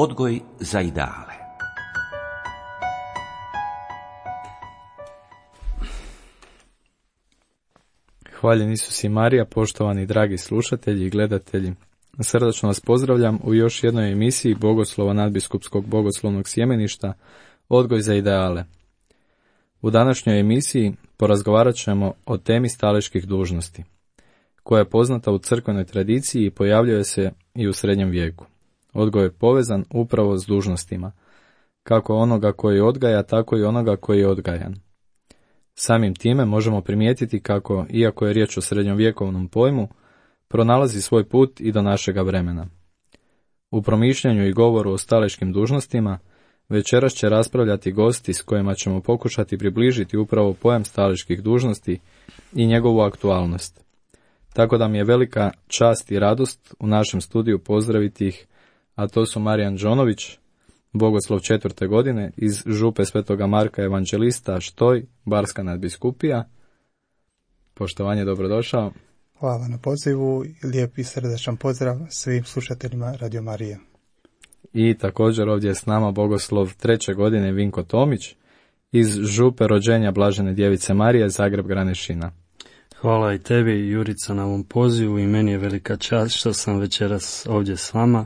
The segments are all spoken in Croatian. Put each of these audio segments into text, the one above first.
Odgoj za ideale. Hvaljen Isus i Marija, poštovani dragi slušatelji i gledatelji. Srdačno vas pozdravljam u još jednoj emisiji Bogoslova nadbiskupskog bogoslovnog sjemeništa Odgoj za ideale. U današnjoj emisiji porazgovarat ćemo o temi staleških dužnosti, koja je poznata u crkvenoj tradiciji i pojavljuje se i u srednjem vijeku. Odgoj je povezan upravo s dužnostima, kako onoga koji odgaja, tako i onoga koji je odgajan. Samim time možemo primijetiti kako, iako je riječ o srednjovjekovnom pojmu, pronalazi svoj put i do našega vremena. U promišljanju i govoru o staleškim dužnostima večeras će raspravljati gosti s kojima ćemo pokušati približiti upravo pojam staleških dužnosti i njegovu aktualnost. Tako da mi je velika čast i radost u našem studiju pozdraviti ih, a to su Marijan Đonović, bogoslov 4. godine iz župe Svetoga Marka Evanđelista Štoj, Barska nadbiskupija. Poštovanje, dobrodošao. Hvala na pozivu i lijep i srdačan pozdrav svim slušateljima Radio Marije. I također ovdje je s nama bogoslov 3. godine Vinko Tomić iz župe rođenja Blažene djevice Marije, Zagreb Granešina. Hvala i tebi, Jurica, na ovom pozivu i meni je velika čast što sam večeras ovdje s vama.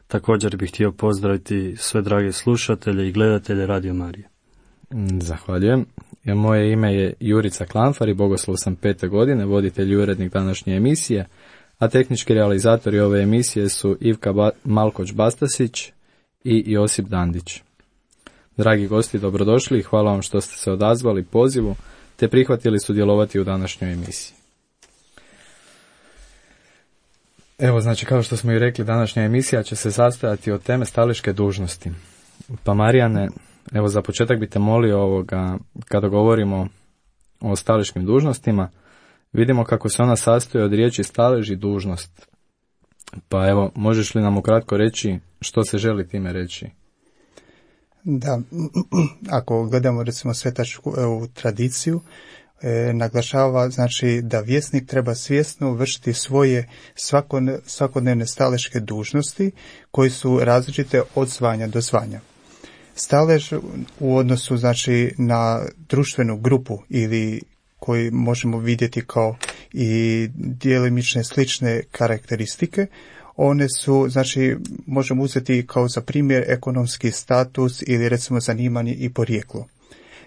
Također bih htio pozdraviti sve drage slušatelje i gledatelje Radio Marije. Zahvaljujem. Moje ime je Jurica Klanfar i bogoslov sam 5. godine, voditelj i urednik današnje emisije, a tehnički realizatori ove emisije su Ivka Malkoć-Bastasić i Josip Dandić. Dragi gosti, dobrodošli i hvala vam što ste se odazvali pozivu te prihvatili sudjelovati u današnjoj emisiji. Evo, znači, kao što smo i rekli, današnja emisija će se sastojati od teme staleške dužnosti. Pa Marijane, evo za početak bi te molio kada govorimo o staleškim dužnostima, vidimo kako se ona sastoji od riječi stalež i dužnost. Pa evo, možeš li nam ukratko reći što se želi time reći? Da, ako gledamo recimo svetačku tradiciju, naglašava znači da vjesnik treba svjesno vršiti svoje svakodnevne staleške dužnosti koji su različite od zvanja do zvanja. Stalež u odnosu znači na društvenu grupu ili koji možemo vidjeti kao i djelimične slične karakteristike, one su, znači, možemo uzeti kao za primjer ekonomski status ili recimo zanimanje i porijeklo.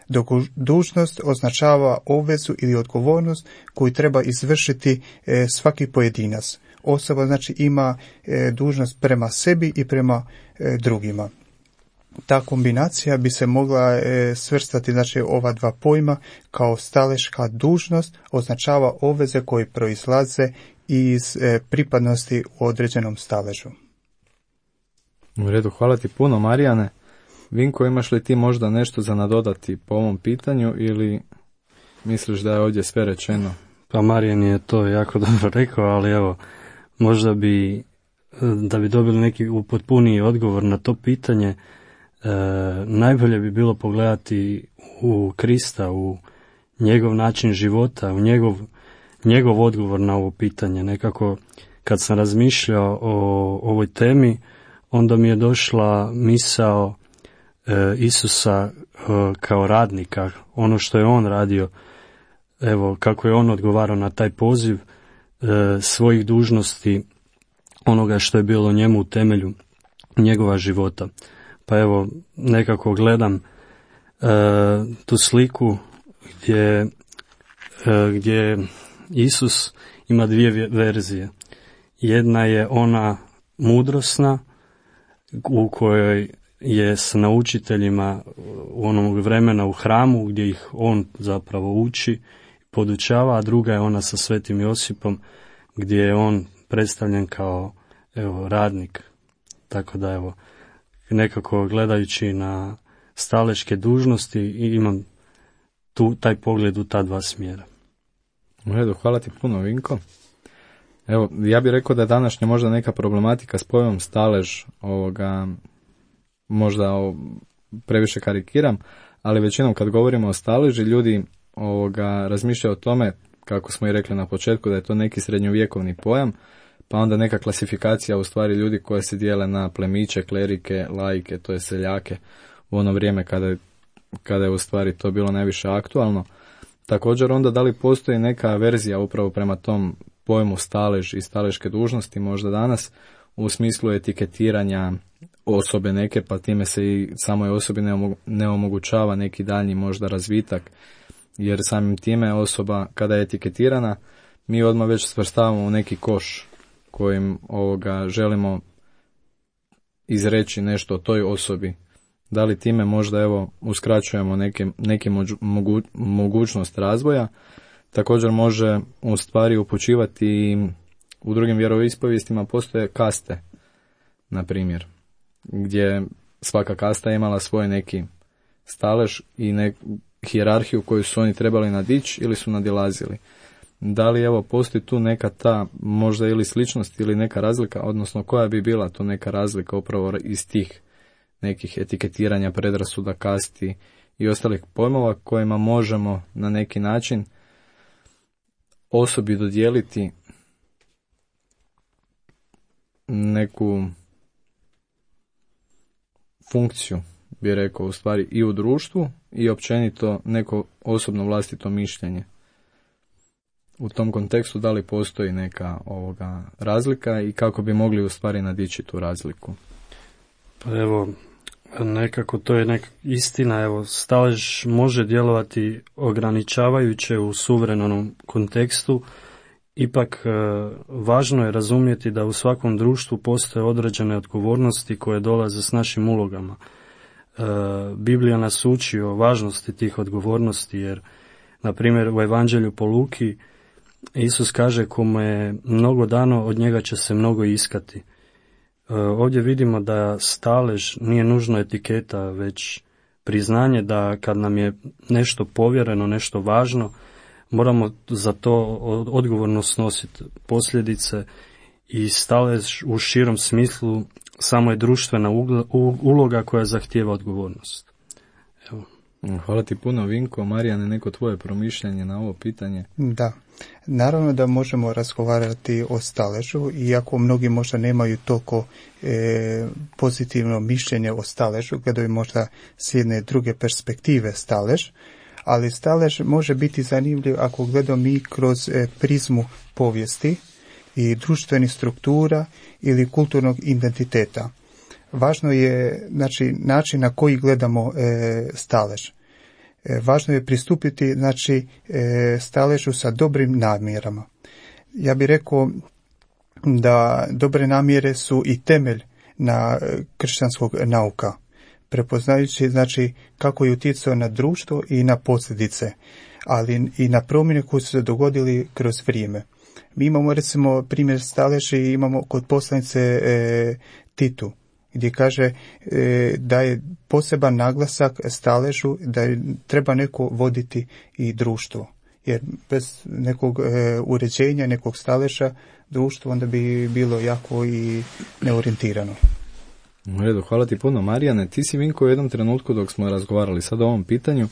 Dok dužnost označava obvezu ili odgovornost koju treba izvršiti svaki pojedinac. Osoba znači ima dužnost prema sebi i prema drugima. Ta kombinacija bi se mogla svrstati, znači, ova dva pojma kao staleška dužnost označava obveze koje proizlaze iz pripadnosti u određenom staležu. U redu, hvala ti puno, Marijane. Vinko, imaš li ti možda nešto za nadodati po ovom pitanju ili misliš da je ovdje sve rečeno? Pa Marijan je to jako dobro rekao, ali evo, možda da bi dobili neki upotpuniji odgovor na to pitanje, najbolje bi bilo pogledati u Krista, u njegov način života, u njegov odgovor na ovo pitanje. Nekako kad sam razmišljao o ovoj temi, onda mi je došla misao Isusa kao radnika, ono što je on radio, evo kako je on odgovarao na taj poziv svojih dužnosti, onoga što je bilo njemu u temelju njegova života. Pa evo, nekako gledam tu sliku gdje Isus ima dvije verzije. Jedna je ona mudrosna u kojoj je s naučiteljima u onog vremena u hramu gdje ih on zapravo uči, podučava, a druga je ona sa Svetim Josipom gdje je on predstavljen kao radnik. Tako da evo, nekako gledajući na staleške dužnosti imam taj pogled u ta dva smjera. U redu, hvala ti puno, Vinko. Evo, ja bih rekao da je današnja možda neka problematika s pojmom stalež, možda previše karikiram, ali većinom kad govorimo o staleži, ljudi razmišljaju o tome, kako smo i rekli na početku, da je to neki srednjovjekovni pojam, pa onda neka klasifikacija u stvari ljudi koje se dijele na plemiće, klerike, laike, to je seljake u ono vrijeme kada je u stvari to bilo najviše aktualno. Također onda da li postoji neka verzija upravo prema tom pojmu stalež i staleške dužnosti možda danas u smislu etiketiranja osobe neke, pa time se i samoj osobi ne omogućava neki daljnji možda razvitak, jer samim time osoba kada je etiketirana mi odmah već svrstavamo u neki koš kojim želimo izreći nešto o toj osobi. Da li time možda uskraćujemo neke mogućnost razvoja. Također može u stvari upućivati i u drugim vjeroispovijestima postoje kaste, na primjer, gdje svaka kasta je imala svoj neki stalež i hijerarhiju koju su oni trebali nadići ili su nadilazili. Da li postoji tu neka ta možda ili sličnost ili neka razlika, odnosno koja bi bila to neka razlika upravo iz tih nekih etiketiranja, predrasuda, kasti i ostalih pojmova kojima možemo na neki način osobi dodijeliti neku funkciju, bi rekao, u stvari i u društvu i općenito neko osobno vlastito mišljenje. U tom kontekstu da li postoji neka razlika i kako bi mogli u stvari nadići tu razliku? Pa evo, nekako to je istina, stalež može djelovati ograničavajuće u suvremenom kontekstu, ipak važno je razumjeti da u svakom društvu postoje određene odgovornosti koje dolaze s našim ulogama. Biblija nas uči o važnosti tih odgovornosti, jer na primjer u Evanđelju po Luki Isus kaže kome je mnogo dano, od njega će se mnogo iskati. Ovdje vidimo da stalež nije nužno etiketa, već priznanje da kad nam je nešto povjereno, nešto važno, moramo za to odgovorno snositi posljedice, i stalež u širom smislu samo je društvena uloga koja zahtijeva odgovornost. Evo. Hvala ti puno, Vinko. Marijane, neko tvoje promišljanje na ovo pitanje? Da, naravno da možemo razgovarati o staležu, iako mnogi možda nemaju toliko pozitivno mišljenje o staležu, gledaju možda s jedne druge perspektive stalež, ali stalež može biti zanimljiv ako gledamo mi kroz prizmu povijesti i društvenih struktura ili kulturnog identiteta. Važno je način na koji gledamo stalež. Važno je pristupiti staležu sa dobrim namjerama. Ja bih rekao da dobre namjere su i temelj na kršćanskog nauka, prepoznajući kako je utjecao na društvo i na posljedice, ali i na promjene koje su se dogodili kroz vrijeme. Mi imamo recimo primjer staleži, imamo kod poslanice Titu, gdje kaže da je poseban naglasak staležu, da treba neko voditi i društvo. Jer bez nekog uređenja, nekog staleža, društvo onda bi bilo jako i neorijentirano. U redu, hvala ti puno, Marijane. Ti si, Vinko, u jednom trenutku dok smo razgovarali sad o ovom pitanju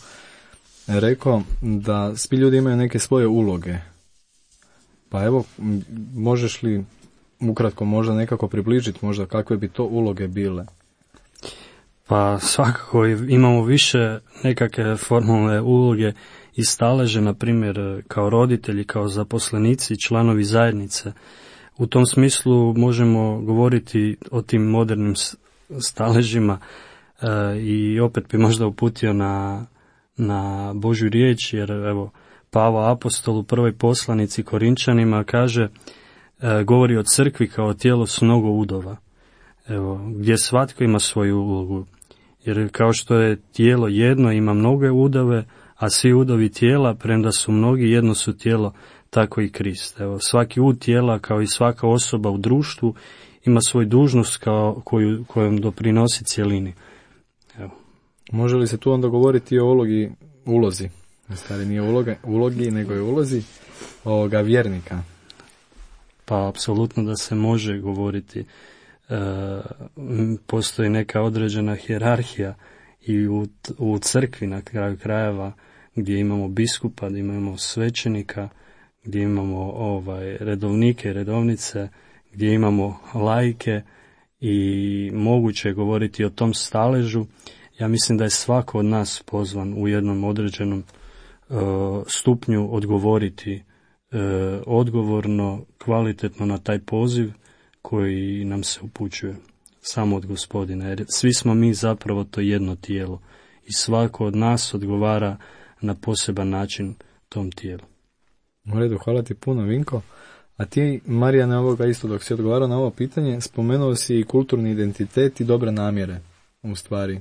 rekao da svi ljudi imaju neke svoje uloge. Pa evo, možeš li ukratko možda nekako približiti možda kakve bi to uloge bile? Pa svakako imamo više nekakve formalne uloge i staleže, na primjer kao roditelji, kao zaposlenici, članovi zajednice. U tom smislu možemo govoriti o tim modernim staležima i opet bi možda uputio na Božju riječ, jer evo Pavao apostol u prvoj poslanici Korinčanima kaže, govori o crkvi kao tijelo s mnogo udova, gdje svatko ima svoju ulogu. Jer kao što je tijelo jedno, ima mnoge udove, a svi udovi tijela, premda su mnogi, jedno su tijelo, tako i Krist. Svaki ud tijela, kao i svaka osoba u društvu, ima svoju dužnost kojom doprinosi cjelini. Može li se tu onda govoriti o ulozi? Stari nije ulogi, nego je ulozi ovoga vjernika. Pa apsolutno da se može govoriti. Postoji neka određena hijerarhija i u crkvi na kraju krajeva, gdje imamo biskupa, gdje imamo svećenika, gdje imamo redovnike i redovnice, gdje imamo laike i moguće je govoriti o tom staležu, ja mislim da je svako od nas pozvan u jednom određenom stupnju odgovoriti odgovorno, kvalitetno na taj poziv koji nam se upućuje samo od Gospodina. Jer svi smo mi zapravo to jedno tijelo i svako od nas odgovara na poseban način tom tijelu. U redu, hvala ti puno, Vinko. A ti, Marijane, ovoga isto dok si odgovarao na ovo pitanje, spomenuo si i kulturni identitet i dobre namjere, u stvari.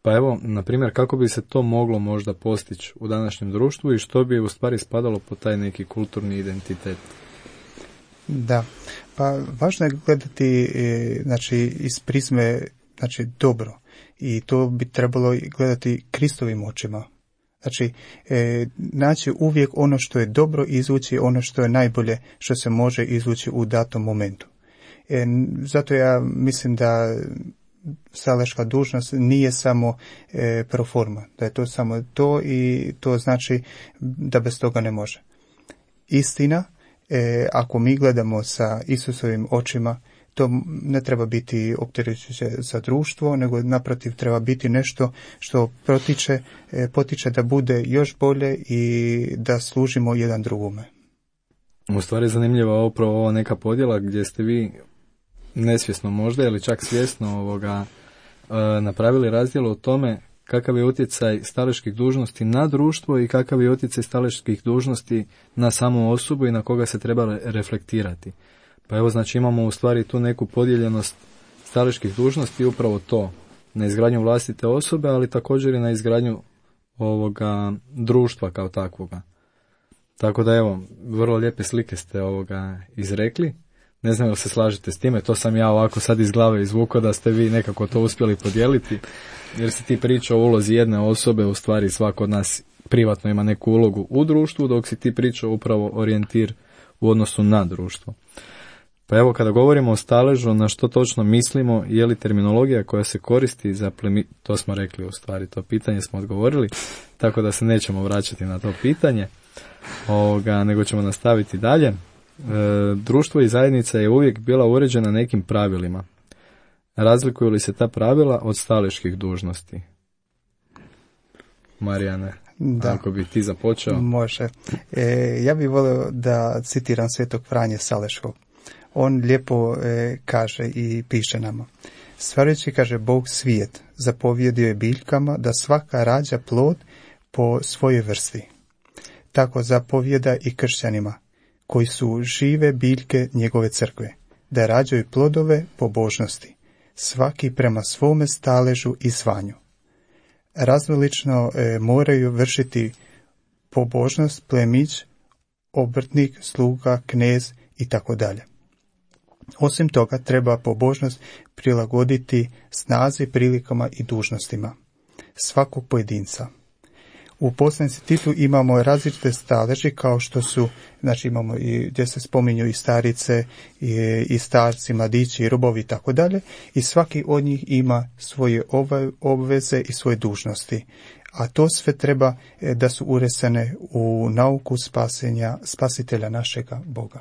Pa evo, na primjer, kako bi se to moglo možda postići u današnjem društvu i što bi u stvari spadalo po taj neki kulturni identitet? Da, pa važno je gledati znači, iz prizme znači, dobro i to bi trebalo gledati Kristovim očima. Znači, naći uvijek ono što je dobro i izvući ono što je najbolje što se može izvući u datom momentu. Zato ja mislim da staležka dužnost nije samo pro forma, da je to samo to i to znači da bez toga ne može. Istina, ako mi gledamo sa Isusovim očima, to ne treba biti opterećujuće za društvo, nego naprotiv treba biti nešto što potiče da bude još bolje i da služimo jedan drugome. U stvari zanimljiva upravo ova neka podjela gdje ste vi nesvjesno možda ili čak svjesno napravili razdjel o tome kakav je utjecaj staležkih dužnosti na društvo i kakav je utjecaj staležkih dužnosti na samu osobu i na koga se treba reflektirati. Pa evo, znači imamo u stvari tu neku podijeljenost staležkih dužnosti upravo to, na izgradnju vlastite osobe, ali također i na izgradnju ovoga društva kao takvoga. Tako da evo, vrlo lijepe slike ste izrekli. Ne znam jel se slažete s time, to sam ja ovako sad iz glave izvukao da ste vi nekako to uspjeli podijeliti, jer si ti pričao o ulozi jedne osobe, u stvari svako od nas privatno ima neku ulogu u društvu, dok si ti pričao upravo orijentir u odnosu na društvo. Pa evo, kada govorimo o staležu, na što točno mislimo, je li terminologija koja se koristi za to smo rekli u stvari, to pitanje smo odgovorili, tako da se nećemo vraćati na to pitanje, nego ćemo nastaviti dalje. Društvo i zajednica je uvijek bila uređena nekim pravilima. Razlikuju li se ta pravila od staležkih dužnosti? Marijane, da. Ako bi ti započeo. Može. Ja bih volio da citiram svetog Franje Saleškog. On lijepo kaže i piše nama. Stvarajući, kaže, Bog svijet, zapovjedio je biljkama da svaka rađa plod po svojoj vrsti. Tako zapovjeda i kršćanima, koji su žive biljke njegove crkve, da rađaju plodove pobožnosti, svaki prema svome staležu i zvanju. Različno moraju vršiti pobožnost plemić, obrtnik, sluga, knez i tako dalje. Osim toga, treba pobožnost prilagoditi snazi, prilikama i dužnostima svakog pojedinca. U poslanici Titu imamo različite staleži kao što su, znači imamo i gdje se spominju i starice, i starci, mladići, i robovi i tako dalje, i svaki od njih ima svoje obveze i svoje dužnosti. A to sve treba da su uresene u nauku spasenja spasitelja našega Boga.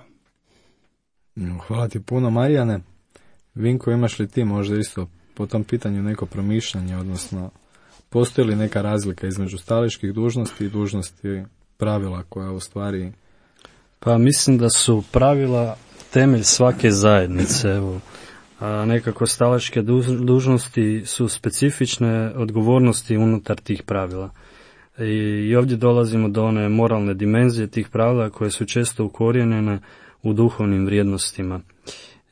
Hvala ti puno, Marijane. Vinko, imaš li ti možda isto po tom pitanju neko promišljanje, odnosno postoji li neka razlika između staležkih dužnosti i dužnosti pravila koja u stvari... Pa mislim da su pravila temelj svake zajednice. Evo, nekako staležke dužnosti su specifične odgovornosti unutar tih pravila. I ovdje dolazimo do one moralne dimenzije tih pravila koje su često ukorijenjene u duhovnim vrijednostima.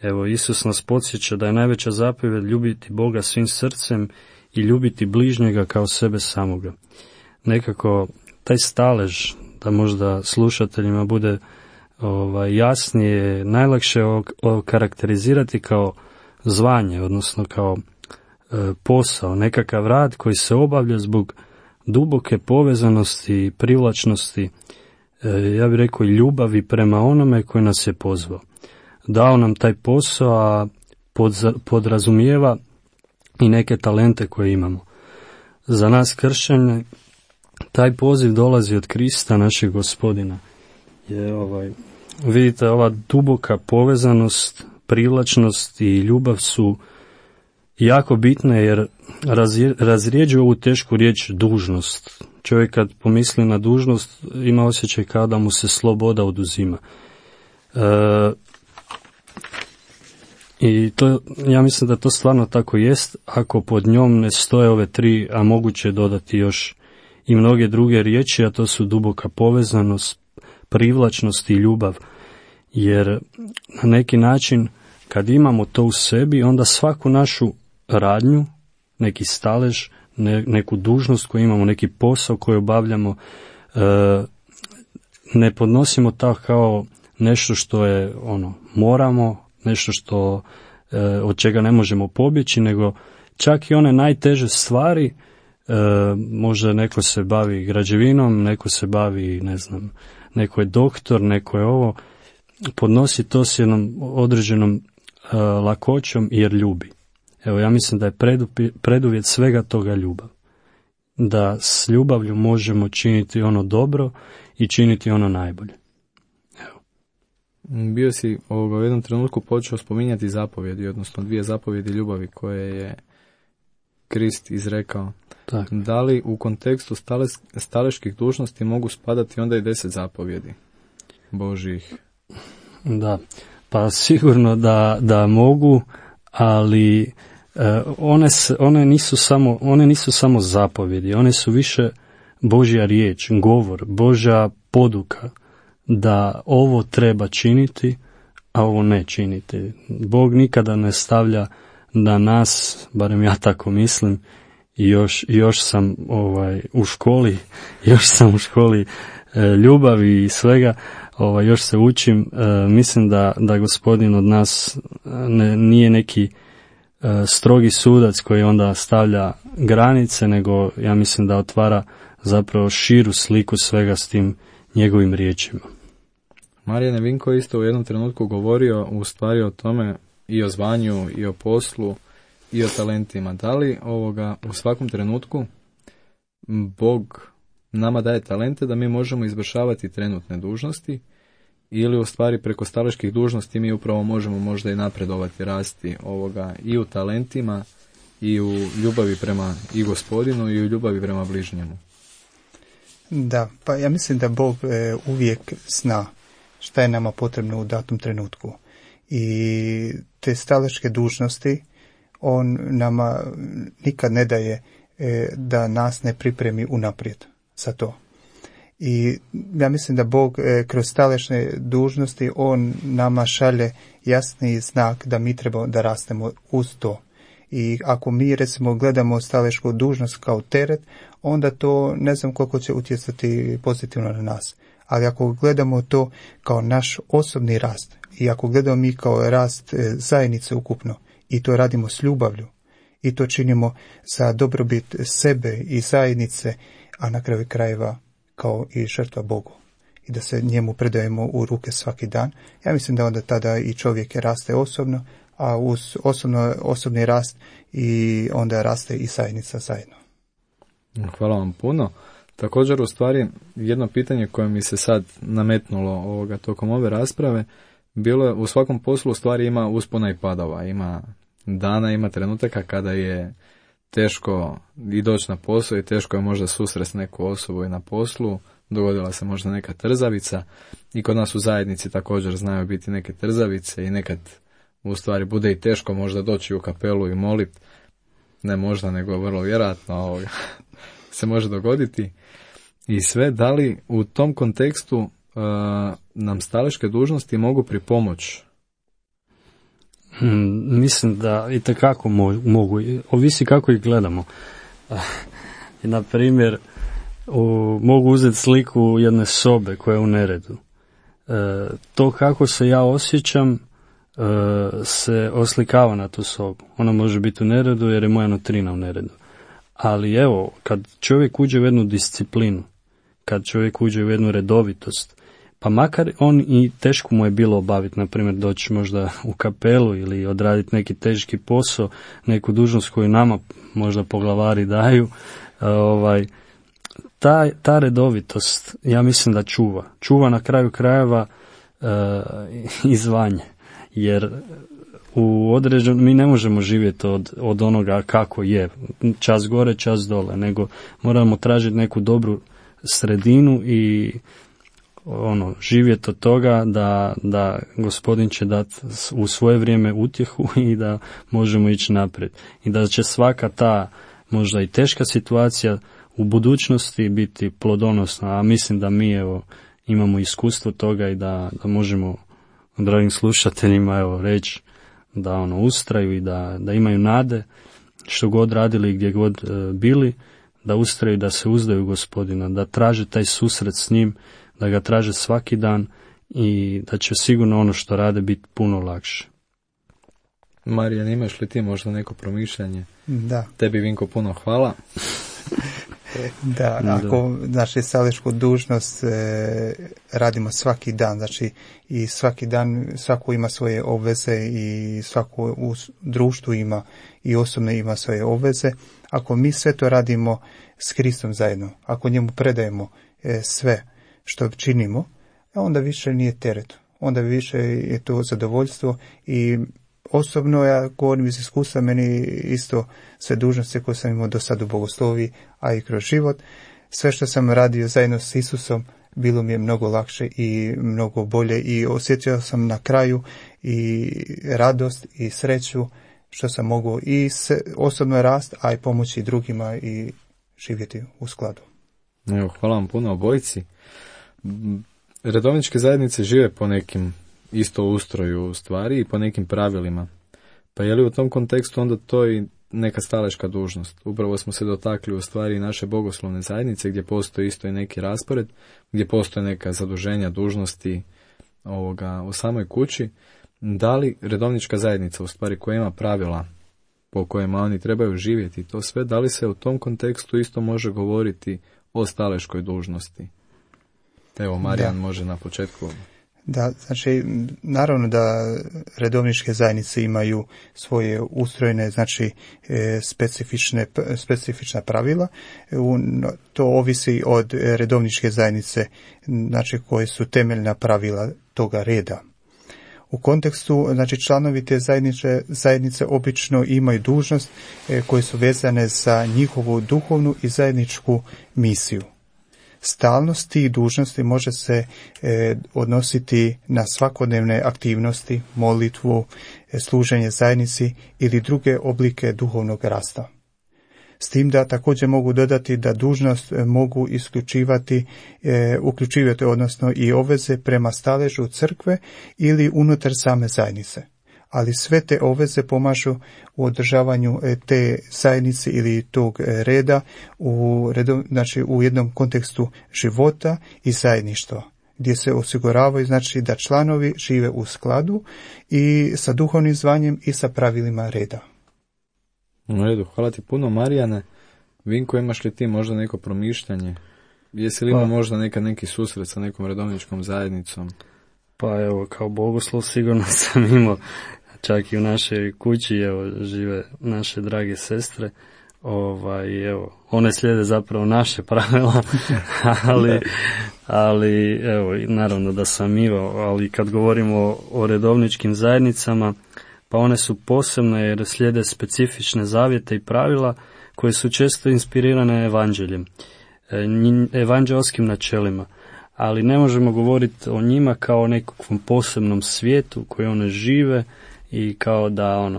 Evo, Isus nas podsjeća da je najveća zapovjed ljubiti Boga svim srcem i ljubiti bližnjega kao sebe samoga. Nekako taj stalež, da možda slušateljima bude jasnije, najlakše okarakterizirati kao zvanje, odnosno kao posao, nekakav rad koji se obavlja zbog duboke povezanosti i privlačnosti, ja bih rekao i ljubavi prema onome koji nas je pozvao. Dao nam taj posao, a podrazumijeva i neke talente koje imamo. Za nas kršćane taj poziv dolazi od Krista, našeg Gospodina. vidite, ova duboka povezanost, privlačnost i ljubav su jako bitne jer razrijeđuju ovu tešku riječ dužnost. Čovjek kad pomisli na dužnost ima osjećaj kao da mu se sloboda oduzima. I to, ja mislim da to stvarno tako jest, ako pod njom ne stoje ove tri, a moguće dodati još i mnoge druge riječi, a to su duboka povezanost, privlačnost i ljubav. Jer na neki način kad imamo to u sebi, onda svaku našu radnju, neki stalež, neku dužnost koju imamo, neki posao koji obavljamo, ne podnosimo tako kao nešto što je moramo, nešto što od čega ne možemo pobjeći, nego čak i one najteže stvari, možda neko se bavi građevinom, neko se bavi, ne znam, neko je doktor, neko je ovo, podnosi to s jednom određenom lakoćom jer ljubi. Evo, ja mislim da je preduvjet svega toga ljubav. Da s ljubavlju možemo činiti ono dobro i činiti ono najbolje. Evo. Bio si u jednom trenutku počeo spominjati zapovjedi, odnosno 2 zapovjedi ljubavi koje je Krist izrekao. Tak. Da li u kontekstu staleških dužnosti mogu spadati onda i 10 zapovjedi Božjih? Da, pa sigurno da mogu, ali one nisu samo zapovjedi, one su više Božja riječ, govor, Božja poduka da ovo treba činiti, a ovo ne činiti. Bog nikada ne stavlja da nas, barem ja tako mislim, i još sam u školi ljubavi i svega, još se učim. Mislim da Gospodin od nas nije neki strogi sudac koji onda stavlja granice, nego ja mislim da otvara zapravo širu sliku svega s tim njegovim riječima. Marijane Vinko isto u jednom trenutku govorio u stvari o tome i o zvanju i o poslu i o talentima. Da li u svakom trenutku Bog nama daje talente da mi možemo izvršavati trenutne dužnosti, ili u stvari preko staleških dužnosti mi upravo možemo možda i napredovati, rasti i u talentima i u ljubavi prema i Gospodinu i u ljubavi prema bližnjemu? Da, pa ja mislim da Bog uvijek zna šta je nama potrebno u datom trenutku. I te staleške dužnosti on nama nikad ne daje da nas ne pripremi unaprijed za to. I ja mislim da Bog kroz stalešne dužnosti on nama šalje jasni znak da mi trebamo da rastemo uz to. I ako mi recimo gledamo stalešku dužnost kao teret, onda to ne znam koliko će utjecati pozitivno na nas. Ali ako gledamo to kao naš osobni rast i ako gledamo mi kao rast zajednice ukupno i to radimo s ljubavlju i to činimo za dobrobit sebe i zajednice, a na kraju krajeva kao i žrtva Bogu i da se njemu predajemo u ruke svaki dan, ja mislim da onda tada i čovjek raste osobno, a uz osobni rast i onda raste i zajednica zajedno. Hvala vam puno. Također, u stvari, jedno pitanje koje mi se sad nametnulo tokom ove rasprave, bilo je, u svakom poslu u stvari ima uspona i padova, ima dana, ima trenutaka kada je teško i doći na posao i teško je možda susresti neku osobu i na poslu, dogodila se možda neka trzavica i kod nas u zajednici također znaju biti neke trzavice i nekad u stvari bude i teško možda doći u kapelu i moliti, ne možda nego vrlo vjerojatno se može dogoditi i sve. Da li u tom kontekstu nam staleške dužnosti mogu pripomoći? Mislim da itekako mogu, ovisi kako ih gledamo. Na primjer, mogu uzeti sliku jedne sobe koja je u neredu. To kako se ja osjećam se oslikava na tu sobu. Ona može biti u neredu jer je moja nutrina u neredu. Ali evo, kad čovjek uđe u jednu disciplinu, kad čovjek uđe u jednu redovitost, pa makar on i teško mu je bilo obaviti, na primjer doći možda u kapelu ili odraditi neki teški posao, neku dužnost koju nama možda poglavari daju, ta redovitost, ja mislim da čuva na kraju krajeva i zvanje. Jer mi ne možemo živjeti od onoga kako je, čas gore, čas dole, nego moramo tražiti neku dobru sredinu i živjeti od toga da Gospodin će dati u svoje vrijeme utjehu i da možemo ići naprijed. I da će svaka ta možda i teška situacija u budućnosti biti plodonosna, a mislim da mi imamo iskustvo toga i da možemo dragim slušateljima reći da ustraju i da imaju nade što god radili i gdje god bili, da ustraju, da se uzdaju Gospodina, da traže taj susret s njim, da ga traže svaki dan i da će sigurno ono što rade biti puno lakše. Marijan, imaš li ti možda neko promišljanje? Da. Tebi, Vinko, puno hvala. Da, ako znači staleštu dužnost radimo svaki dan, znači i svaki dan svako ima svoje obveze i svako u društvu ima i osobno ima svoje obveze. Ako mi sve to radimo s Kristom zajedno, ako njemu predajemo sve što činimo, onda više nije teret, onda više je to zadovoljstvo. I osobno ja govorim iz iskustva, meni isto sve dužnosti koje sam imao do sada u bogoslovi, a i kroz život, sve što sam radio zajedno s Isusom bilo mi je mnogo lakše i mnogo bolje i osjećao sam na kraju i radost i sreću što sam mogao i osobno rast, a i pomoći drugima i živjeti u skladu. Evo, hvala vam puno obojici. Redovničke zajednice žive po nekim isto ustroju stvari i po nekim pravilima. Pa je li u tom kontekstu onda to i neka staleška dužnost? Upravo smo se dotakli u stvari naše bogoslovne zajednice gdje postoji isto i neki raspored, gdje postoje neka zaduženja, dužnosti u samoj kući. Da li redovnička zajednica u stvari koja ima pravila po kojima oni trebaju živjeti, to sve, da li se u tom kontekstu isto može govoriti o staleškoj dužnosti? Evo, Marijan može na početku. Da, znači, naravno da redovničke zajednice imaju svoje ustrojene, znači, specifična pravila. To ovisi od redovničke zajednice, znači, koje su temeljna pravila toga reda. U kontekstu, znači, članovi te zajednice obično imaju dužnost koje su vezane za njihovu duhovnu i zajedničku misiju. Stalnost tih dužnosti može se odnositi na svakodnevne aktivnosti, molitvu, služenje zajednici ili druge oblike duhovnog rasta. S tim da također mogu dodati da dužnost mogu uključivati odnosno i obveze prema staležu crkve ili unutar same zajednice. Ali sve te obveze pomažu u održavanju te zajednice ili tog reda znači u jednom kontekstu života i zajedništva, gdje se osiguravaju, znači, da članovi žive u skladu i sa duhovnim zvanjem i sa pravilima reda. U redu, hvala ti puno, Marijane. Vinko, imaš li ti možda neko promišljanje? Jesi li imao možda neki susret sa nekom redovničkom zajednicom? Pa evo, kao bogoslov sigurno sam imao, čak i u našoj kući, žive naše drage sestre, evo, one slijede zapravo naše pravila, ali evo, naravno da sam imao, ali kad govorimo o redovničkim zajednicama, pa one su posebne jer slijede specifične zavjete i pravila koje su često inspirirane evanđeljem, evanđelskim načelima. Ali ne možemo govoriti o njima kao o nekakvom posebnom svijetu koji one žive i kao da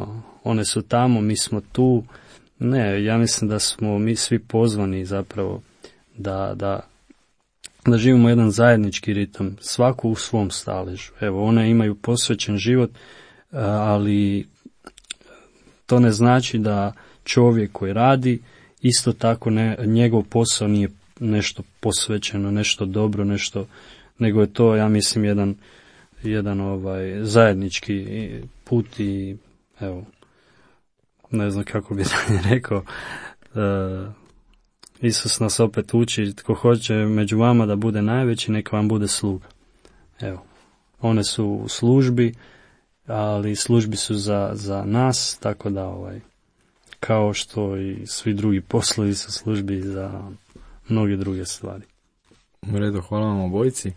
one su tamo, mi smo tu. Ne, ja mislim da smo mi svi pozvani zapravo da živimo jedan zajednički ritam, svaku u svom staležu. Evo, one imaju posvećen život, ali to ne znači da čovjek koji radi, isto tako njegov posao nije nešto posvećeno, nešto dobro, nego je to, ja mislim, jedan zajednički put i evo, ne znam kako bi rekao, Isus nas opet uči, tko hoće među vama da bude najveći, neka vam bude sluga. Evo, one su u službi, ali službi su za nas, tako da kao što i svi drugi poslovi su službi za mnoge druge stvari. U redu, hvala vam obojici.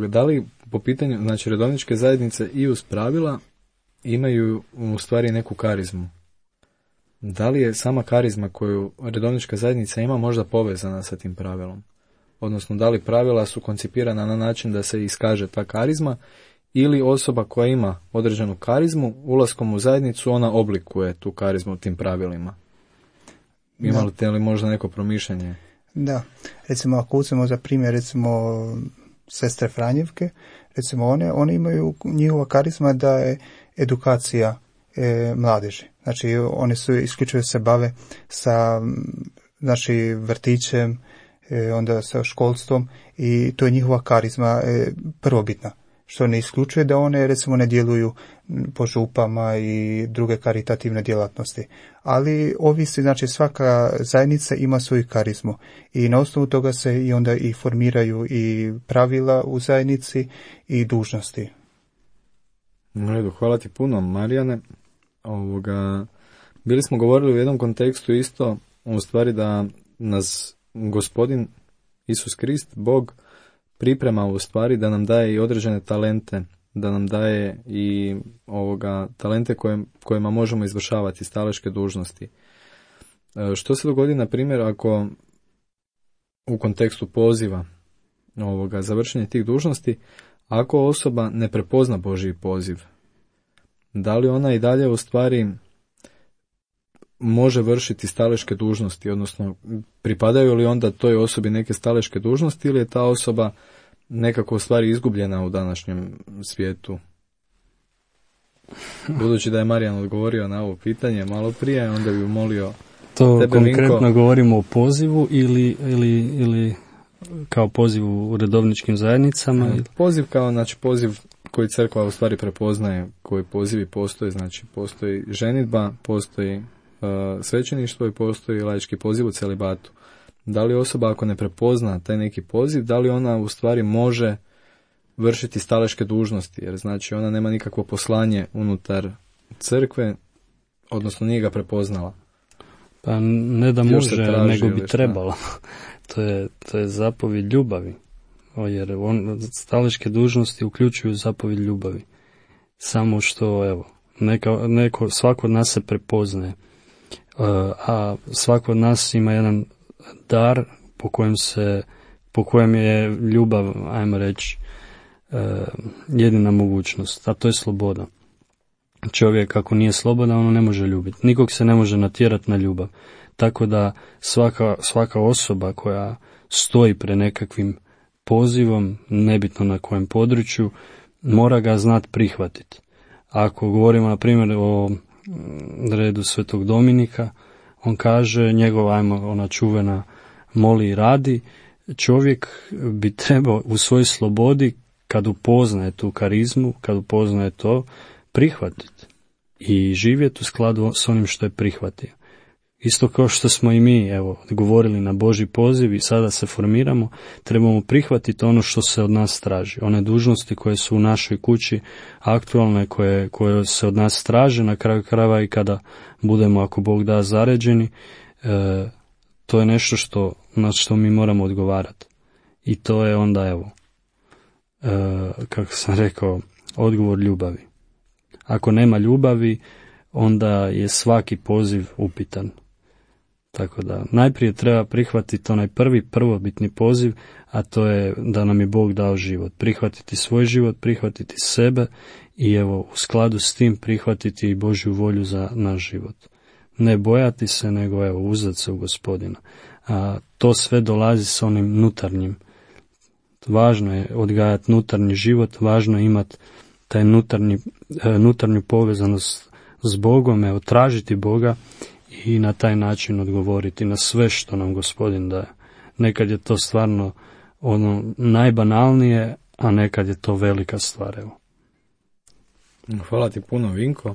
Da li po pitanju, znači redovničke zajednice i uz pravila imaju u stvari neku karizmu? Da li je sama karizma koju redovnička zajednica ima možda povezana sa tim pravilom? Odnosno, da li pravila su koncipirana na način da se iskaže ta karizma, ili osoba koja ima određenu karizmu, ulaskom u zajednicu ona oblikuje tu karizmu tim pravilima? Imate li možda neko promišljanje? Da, recimo ako uzmemo za primjer recimo sestre Franjevke, recimo one imaju, njihova karizma da je edukacija mladeži. Znači oni su isključivo se bave sa vrtićem, onda sa školstvom i to je njihova karizma prvobitna. Što ne isključuje da one recimo ne djeluju po župama i druge karitativne djelatnosti. Ali ovisi, znači svaka zajednica ima svoju karizmu i na osnovu toga se i onda i formiraju i pravila u zajednici i dužnosti. U redu, hvala ti puno, Marijane. Bili smo govorili u jednom kontekstu isto, u stvari da nas Gospodin Isus Krist, Bog, priprema u stvari da nam daje i određene talente, da nam daje i talente kojima možemo izvršavati staleške dužnosti. Što se dogodi, na primjer, ako u kontekstu poziva za vršenje tih dužnosti, ako osoba ne prepozna Božji poziv, da li ona i dalje u stvari može vršiti staleške dužnosti, odnosno pripadaju li onda toj osobi neke staleške dužnosti, ili je ta osoba nekako u stvari izgubljena u današnjem svijetu? Budući da je Marijan odgovorio na ovo pitanje malo prije, onda bi molio to tebe, konkretno Vinko. Govorimo o pozivu ili kao pozivu u redovničkim zajednicama? Poziv kao, znači poziv koji crkva u stvari prepoznaje, koji pozivi postoje, znači postoji ženidba, postoji svećeništvo i postoji laički poziv u celibatu. Da li osoba ako ne prepozna taj neki poziv, da li ona u stvari može vršiti staleške dužnosti, jer znači ona nema nikakvo poslanje unutar crkve, odnosno nije ga prepoznala? Pa ne da može, nego bi trebalo. To je zapovjed ljubavi, jer staleške dužnosti uključuju zapovjed ljubavi. Samo što, evo, svako od nas se prepoznaje, a svako od nas ima jedan dar po kojem je ljubav, ajmo reći, jedina mogućnost, a to je sloboda. Čovjek ako nije slobodan, ono ne može ljubiti. Nikog se ne može natjerati na ljubav. Tako da svaka osoba koja stoji pred nekakvim pozivom, nebitno na kojem području, mora ga znati prihvatiti. Ako govorimo na primjer o redu Svetog Dominika, on kaže, ona čuvena moli i radi, čovjek bi trebao u svojoj slobodi, kad upoznaje tu karizmu, kad upoznaje to, prihvatiti i živjeti u skladu s onim što je prihvatio. Isto kao što smo i mi, govorili na Božji poziv i sada se formiramo, trebamo prihvatiti ono što se od nas traži. One dužnosti koje su u našoj kući aktualne, koje se od nas traže na kraju krajeva i kada budemo, ako Bog da, zaređeni, to je nešto na što mi moramo odgovarati. I to je onda, kako sam rekao, odgovor ljubavi. Ako nema ljubavi, onda je svaki poziv upitan. Tako da najprije treba prihvatiti onaj prvobitni poziv, a to je da nam je Bog dao život. Prihvatiti svoj život, prihvatiti sebe i u skladu s tim prihvatiti i Božju volju za naš život. Ne bojati se, nego uzdati se u Gospodina. A to sve dolazi s onim nutarnjim. Važno je odgajati nutarnji život, važno je imati taj nutarnju povezanost s Bogom, tražiti Boga i na taj način odgovoriti na sve što nam Gospodin daje. Nekad je to stvarno najbanalnije, a nekad je to velika stvar. Hvala ti puno, Vinko.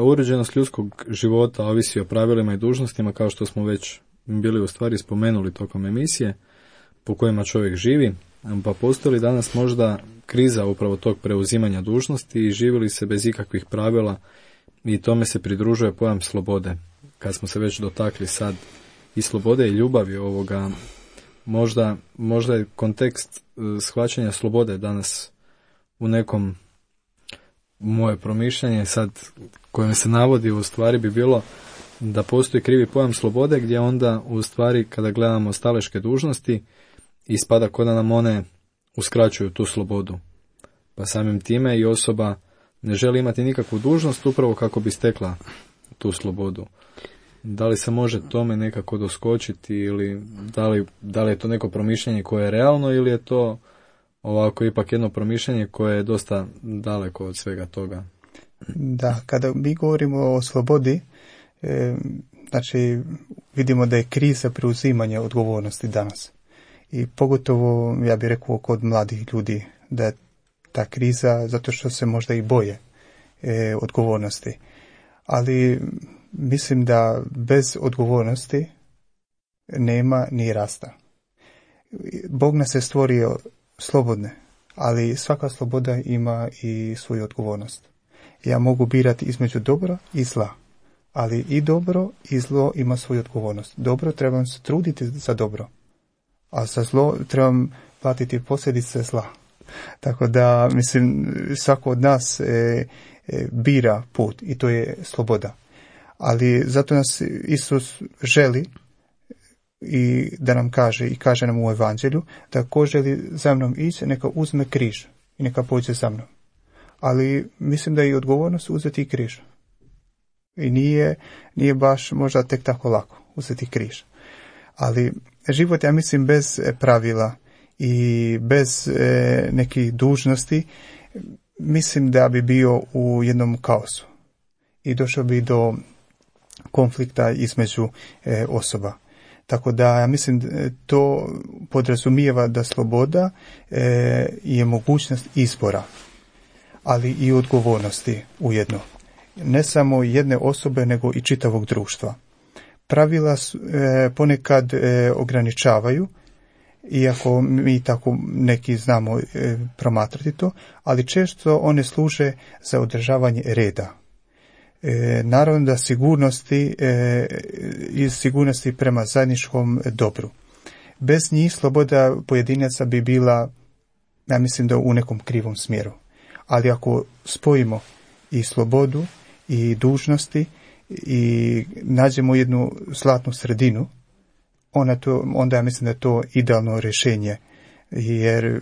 Uređenost ljudskog života ovisi o pravilima i dužnostima, kao što smo već bili u stvari spomenuli tokom emisije, po kojima čovjek živi. Pa postoji li danas možda kriza upravo tog preuzimanja dužnosti i živi li se bez ikakvih pravila, i tome se pridružuje pojam slobode. Kad smo se već dotakli sad i slobode i ljubavi možda je kontekst shvaćanja slobode danas u nekom, moje promišljanje sad kojem se navodi u stvari bi bilo da postoji krivi pojam slobode, gdje onda u stvari kada gledamo staleške dužnosti ispada kao da nam one uskraćuju tu slobodu. Pa samim time i osoba ne želi imati nikakvu dužnost upravo kako bi stekla tu slobodu. Da li se može tome nekako doskočiti ili da li je to neko promišljanje koje je realno ili je to ovako ipak jedno promišljanje koje je dosta daleko od svega toga? Da, kada mi govorimo o slobodi, znači vidimo da je kriza preuzimanja odgovornosti danas. I pogotovo, ja bih rekao, kod mladih ljudi, da je ta kriza zato što se možda i boje odgovornosti. Ali mislim da bez odgovornosti nema ni rasta. Bog nas je stvorio slobodne, ali svaka sloboda ima i svoju odgovornost. Ja mogu birati između dobra i zla, ali i dobro i zlo ima svoju odgovornost. Dobro, trebam se truditi za dobro, a za zlo trebam platiti posljedice zla. Tako da, mislim, svako od nas bira put i to je sloboda. Ali zato nas Isus želi i da nam kaže, i kaže nam u evanđelju, da ko želi za mnom ići, neka uzme križ i neka pođe za mnom. Ali mislim da je i odgovornost uzeti križ. I nije baš možda tek tako lako uzeti križ. Ali život, ja mislim, bez pravila i bez nekih dužnosti, mislim da bi bio u jednom kaosu. I došao bi do konflikta između osoba. Tako da ja mislim to podrazumijeva da sloboda je mogućnost izbora, ali i odgovornosti ujedno. Ne samo jedne osobe, nego i čitavog društva. Pravila ponekad ograničavaju, iako mi tako neki znamo promatrati to, ali često one služe za održavanje reda. Naravno da sigurnosti prema zajedničkom dobru. Bez njih sloboda pojedinaca bi bila, ja mislim, da u nekom krivom smjeru. Ali ako spojimo i slobodu i dužnosti i nađemo jednu zlatnu sredinu, onda ja mislim da je to idealno rješenje. Jer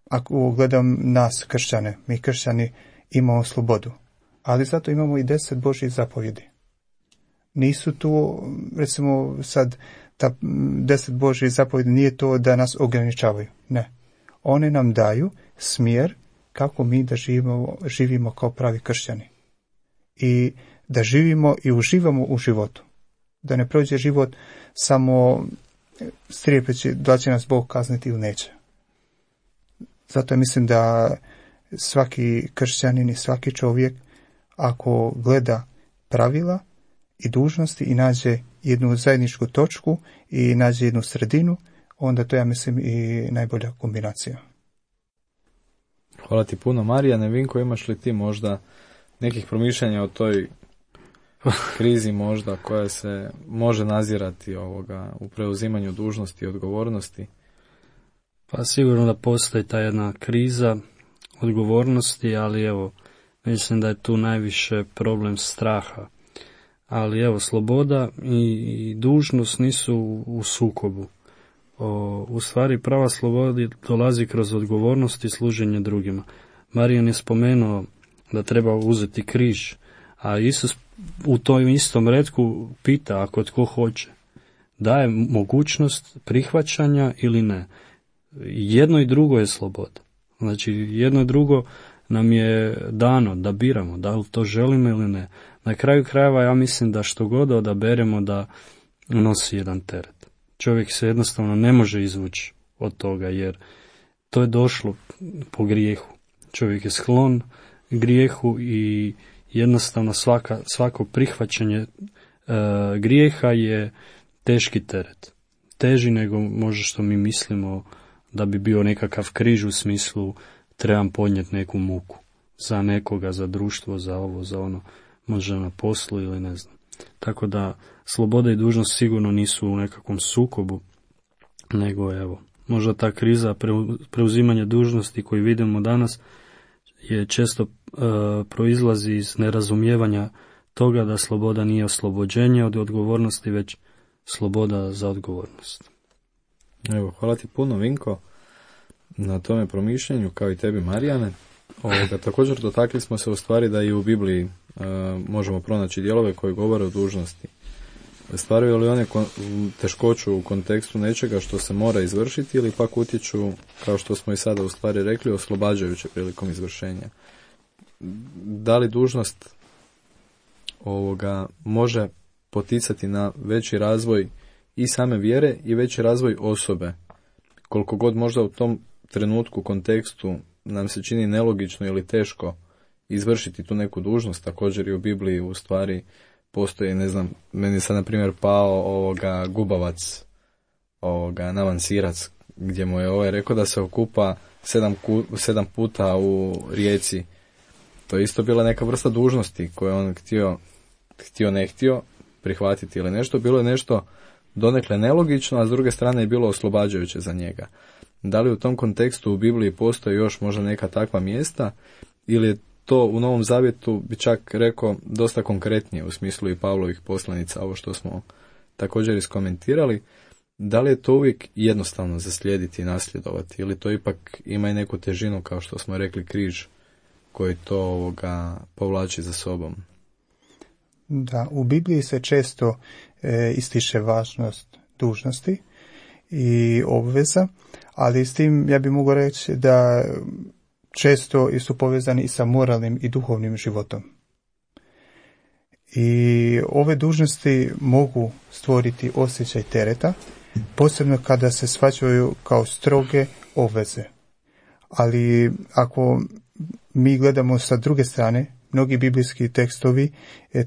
ako gledam nas kršćane, mi kršćani imamo slobodu, ali zato imamo i 10 Božjih zapovjedi. Nisu tu, recimo sad, ta 10 Božjih zapovjedi nije to da nas ograničavaju. Ne. One nam daju smjer kako mi da živimo kao pravi kršćani. I da živimo i uživamo u životu. Da ne prođe život samo strijepeći da će nas Bog kazniti ili neće. Zato mislim da svaki kršćanin i svaki čovjek, ako gleda pravila i dužnosti i nađe jednu zajedničku točku i nađe jednu sredinu, onda to, ja mislim, i najbolja kombinacija. Hvala ti puno, Marija. Nevinko, imaš li ti možda nekih promišljanja o toj krizi možda koja se može nazirati u preuzimanju dužnosti i odgovornosti? Pa sigurno da postoji ta jedna kriza odgovornosti, ali evo, mislim da je tu najviše problem straha. Ali evo, sloboda i dužnost nisu u sukobu. U stvari prava sloboda dolazi kroz odgovornost i služenje drugima. Marijan je spomenuo da treba uzeti križ, a Isus u tom istom retku pita ako tko hoće. Daje mogućnost prihvaćanja ili ne. Jedno i drugo je sloboda. Znači, jedno i drugo nam je dano da biramo, da li to želimo ili ne. Na kraju krajeva ja mislim da što god odaberemo da nosi jedan teret. Čovjek se jednostavno ne može izvući od toga, jer to je došlo po grijehu. Čovjek je sklon grijehu i jednostavno svako prihvaćanje grijeha je teški teret. Teži nego možda što mi mislimo da bi bio nekakav križ u smislu trebam podnijeti neku muku za nekoga, za društvo, za ovo, za ono, možda na poslu ili ne znam. Tako da sloboda i dužnost sigurno nisu u nekakvom sukobu, nego evo, možda ta kriza preuzimanja dužnosti koju vidimo danas je često proizlazi iz nerazumijevanja toga da sloboda nije oslobođenje od odgovornosti, već sloboda za odgovornost. Evo, hvala ti puno, Vinko, na tome promišljanju, kao i tebi, Marijane. Također dotakli smo se u stvari da i u Bibliji možemo pronaći dijelove koji govore o dužnosti. Stvaraju li one teškoću u kontekstu nečega što se mora izvršiti ili pak utječu, kao što smo i sada u stvari rekli, oslobađajuće prilikom izvršenja? Da li dužnost može poticati na veći razvoj i same vjere i veći razvoj osobe? Koliko god možda u tom trenutku, kontekstu nam se čini nelogično ili teško izvršiti tu neku dužnost, također i u Bibliji u stvari postoji, ne znam, meni je sad na primjer pao gubavac, navansirac, gdje mu je rekao da se okupa 7 puta u rijeci. To je isto bila neka vrsta dužnosti koju on htio ne htio prihvatiti ili nešto. Bilo je nešto donekle nelogično, a s druge strane je bilo oslobađajuće za njega. Da li u tom kontekstu u Bibliji postoji još možda neka takva mjesta, ili je to u Novom Zavjetu, bi čak rekao, dosta konkretnije u smislu i Pavlovih poslanica, ovo što smo također iskomentirali? Da li je to uvijek jednostavno zaslijediti i nasljedovati, ili to ipak ima i neku težinu, kao što smo rekli, križ koji to povlači za sobom? Da, u Bibliji se često ističe važnost dužnosti i obveza, ali s tim ja bih mogao reći da često su povezani i sa moralnim i duhovnim životom. I ove dužnosti mogu stvoriti osjećaj tereta, posebno kada se shvaćaju kao stroge obveze. Ali ako mi gledamo sa druge strane, mnogi biblijski tekstovi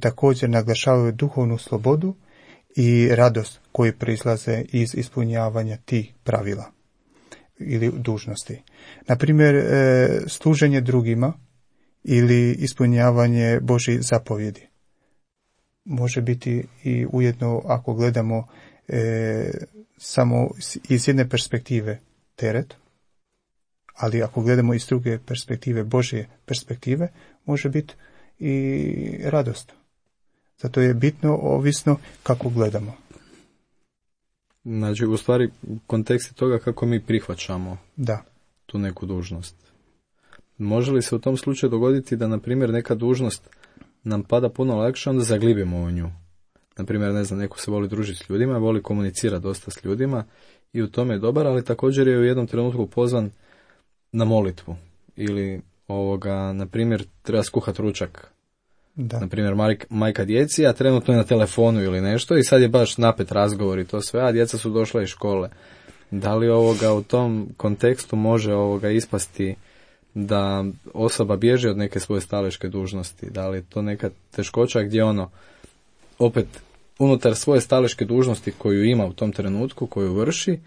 također naglašavaju duhovnu slobodu i radost koji proizlaze iz ispunjavanja tih pravila ili dužnosti. Na primjer, služenje drugima ili ispunjavanje Božjih zapovjedi. Može biti i ujedno, ako gledamo samo iz jedne perspektive, teret, ali ako gledamo iz druge perspektive, Božje perspektive, može biti i radost. Zato je bitno, ovisno kako gledamo. Znači, u stvari, kontekst toga kako mi prihvaćamo tu neku dužnost. Može li se u tom slučaju dogoditi da, na primjer, neka dužnost nam pada puno lakše, onda zaglibimo u nju? Na primjer, ne znam, neko se voli družiti s ljudima, voli komunicirati dosta s ljudima i u tome je dobar, ali također je u jednom trenutku pozvan na molitvu. Ili, na primjer, treba skuhati ručak. Da. Na primjer, majka djeci, a trenutno je na telefonu ili nešto i sad je baš napet razgovor i to sve, a djeca su došla iz škole. Da li u tom kontekstu može ispasti da osoba bježi od neke svoje staleške dužnosti? Da li je to neka teškoća gdje opet unutar svoje staleške dužnosti koju ima u tom trenutku, koju vrši,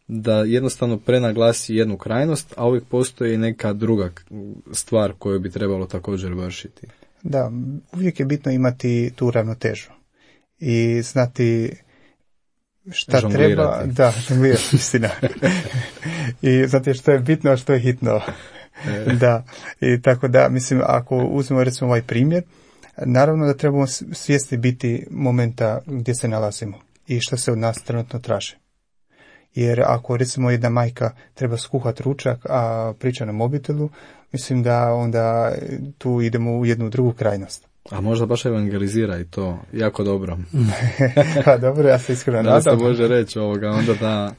da jednostavno prenaglasi jednu krajnost, a uvijek postoji neka druga stvar koju bi trebalo također vršiti? Da, uvijek je bitno imati tu ravnotežu i znati šta treba. Da, žonglirati, istina. I znati što je bitno, a što je hitno. Da, i tako da, mislim, ako uzmemo recimo ovaj primjer, naravno da trebamo svjesni biti momenta gdje se nalazimo i što se od nas trenutno traži. Jer ako recimo jedna majka treba skuhati ručak, a priča na mobitelu, mislim da onda tu idemo u jednu drugu krajnost. A možda baš evangelizira i to jako dobro. Pa dobro, ja se iskreno nadam. Da se može reći onda da...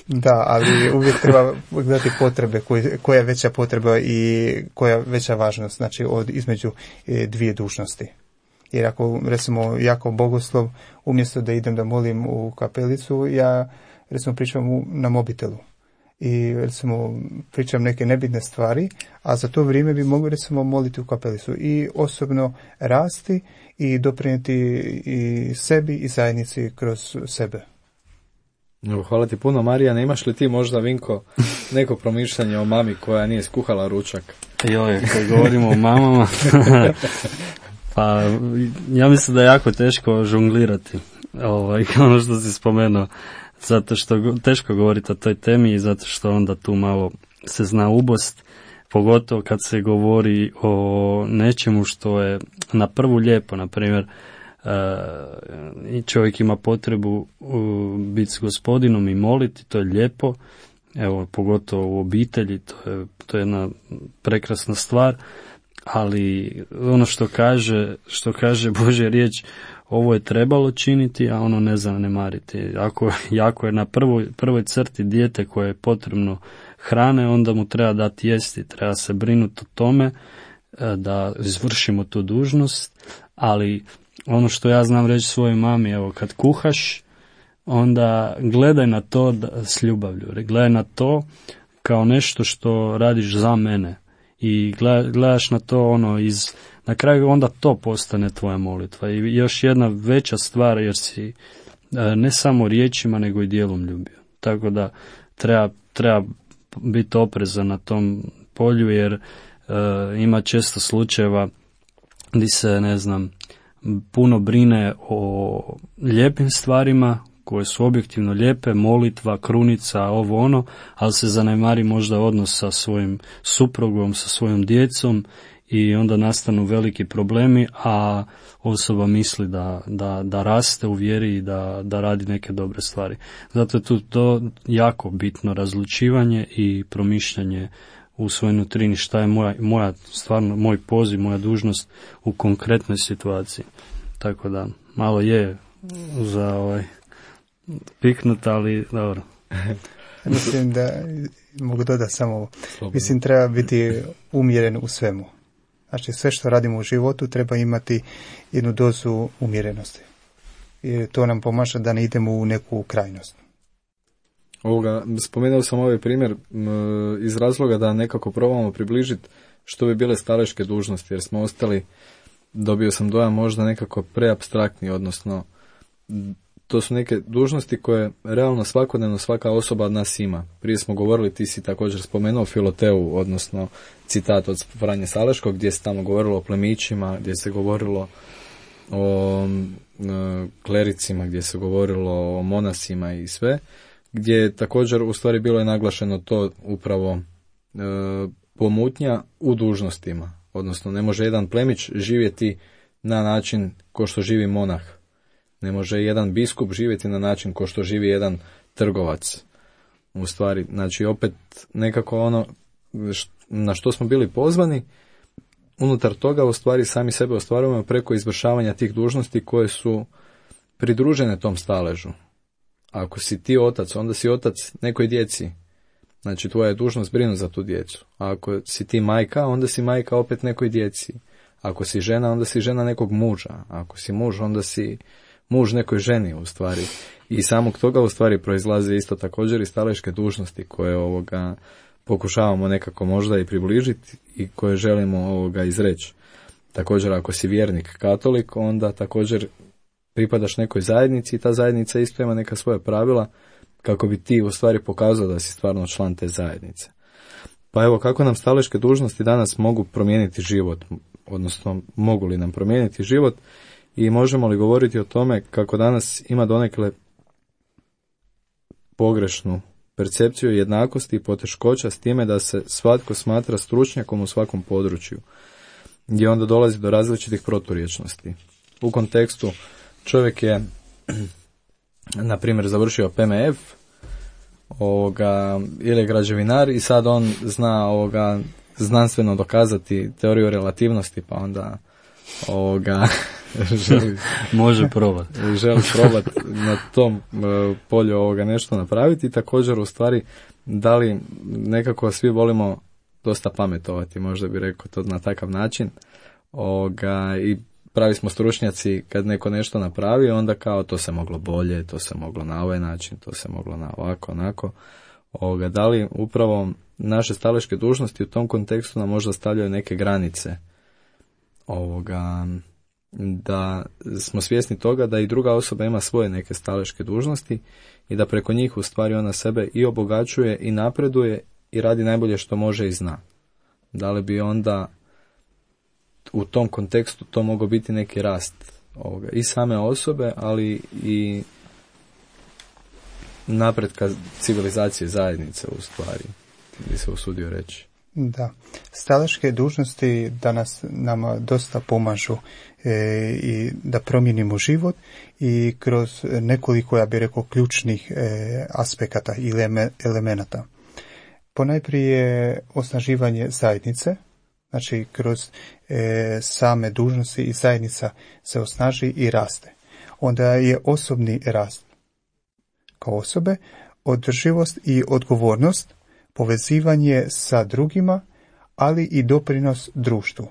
Da, ali uvijek treba gledati potrebe, koja je veća potreba i koja je veća važnost, znači između dvije dužnosti. Jer ako recimo jako bogoslov, umjesto da idem da molim u kapelicu, ja recimo pričam na mobitelu. I recimo pričam neke nebitne stvari, a za to vrijeme bi mogli recimo moliti u kapelicu i osobno rasti i doprinijeti i sebi i zajednici kroz sebe. Hvala ti puno, Marijane. Imaš li ti možda, Vinko, neko promišljanje o mami koja nije skuhala ručak? Joj, kad govorimo o mamama, pa ja mislim da je jako teško žonglirati, ono što si spomenuo. zato što teško govoriti o toj temi i zato što onda tu malo se zna ubost, pogotovo kad se govori o nečemu što je na prvu lijepo, na primjer čovjek ima potrebu biti s Gospodinom i moliti, to je lijepo, evo pogotovo u obitelji, to je jedna prekrasna stvar, ali ono što kaže Božja riječ, ovo je trebalo činiti, a ono ne zanemariti. Ako je na prvoj crti dijete koje je potrebno hrane, onda mu treba dati jesti, treba se brinuti o tome da izvršimo tu dužnost, ali ono što ja znam reći svojoj mami, evo kad kuhaš, onda gledaj na to s ljubavlju, gledaj na to kao nešto što radiš za mene i gledaš na to na kraju onda to postane tvoja molitva. I još jedna veća stvar, jer si ne samo riječima nego i djelom ljubio. Tako da treba biti oprezan na tom polju, jer ima često slučajeva gdje se, puno brine o lijepim stvarima koje su objektivno lijepe, molitva, krunica, ovo ono, ali se zanemari možda odnos sa svojim suprugom, sa svojom djecom i onda nastanu veliki problemi, a osoba misli da raste u vjeri i da radi neke dobre stvari. Zato je tu to jako bitno razlučivanje i promišljanje u svojoj nutrini šta je moj poziv, moja dužnost u konkretnoj situaciji. Tako da malo je za piknut, ali dobro. Mislim da mogu dodati samo, mislim treba biti umjeren u svemu. Znači sve što radimo u životu treba imati jednu dozu umjerenosti. I to nam pomaže da ne idemo u neku krajnost. Spomenuo sam ovaj primjer iz razloga da nekako probamo približiti što bi bile staleške dužnosti, jer smo ostali, dobio sam dojam možda nekako preapstraktni, odnosno to su neke dužnosti koje realno svakodnevno svaka osoba od nas ima. Prije smo govorili, ti si također spomenuo Filoteu, odnosno citat od Franje Saleškog, gdje se tamo govorilo o plemićima, gdje se govorilo o klericima, gdje se govorilo o monasima i sve, gdje je također u stvari bilo je naglašeno to upravo pomutnja u dužnostima. Odnosno ne može jedan plemić živjeti na način ko što živi monah. Ne može jedan biskup živjeti na način ko što živi jedan trgovac. U stvari, znači opet nekako ono na što smo bili pozvani, unutar toga u stvari sami sebe ostvarujemo preko izvršavanja tih dužnosti koje su pridružene tom staležu. Ako si ti otac, onda si otac nekoj djeci. Znači tvoja je dužnost brinuti za tu djecu. A ako si ti majka, onda si majka opet nekoj djeci. Ako si žena, onda si žena nekog muža. Ako si muž, onda si muž nekoj ženi u stvari. I samog toga u stvari proizlaze isto također i staleške dužnosti koje pokušavamo nekako možda i približiti i koje želimo izreći. Također ako si vjernik katolik, onda također pripadaš nekoj zajednici i ta zajednica isto ima neka svoja pravila kako bi ti u stvari pokazao da si stvarno član te zajednice. Pa evo, kako nam staleške dužnosti danas mogu promijeniti život, odnosno mogu li nam promijeniti život i možemo li govoriti o tome kako danas ima donekle pogrešnu percepciju jednakosti i poteškoća s time da se svatko smatra stručnjakom u svakom području, gdje onda dolazi do različitih proturječnosti. U kontekstu čovjek je, na primjer, završio PMF ili je građevinar i sad on zna znanstveno dokazati teoriju relativnosti, pa onda može probati. Želi probati na tom polju nešto napraviti i također u stvari da li nekako svi volimo dosta pametovati, možda bi rekao to na takav način i pravi smo stručnjaci kad neko nešto napravi, onda kao to se moglo bolje, to se moglo na ovaj način, to se moglo na ovako, onako. Da li upravo naše staleške dužnosti u tom kontekstu nam možda stavljaju neke granice da smo svjesni toga da i druga osoba ima svoje neke staleške dužnosti i da preko njih u stvari ona sebe i obogaćuje i napreduje i radi najbolje što može i zna. Da li bi onda u tom kontekstu to mogao biti neki rast i same osobe, ali napretka civilizacije zajednice u stvari, bi se usudio reći. Da, strateške dužnosti danas nama dosta pomažu i da promijenimo život i kroz nekoliko, ja bih rekao, ključnih aspekata ili elemenata. Ponajprije osnaživanje zajednice, znači kroz same dužnosti i zajednica se osnaži i raste. Onda je osobni rast kao osobe, održivost i odgovornost, povezivanje sa drugima, ali i doprinos društvu.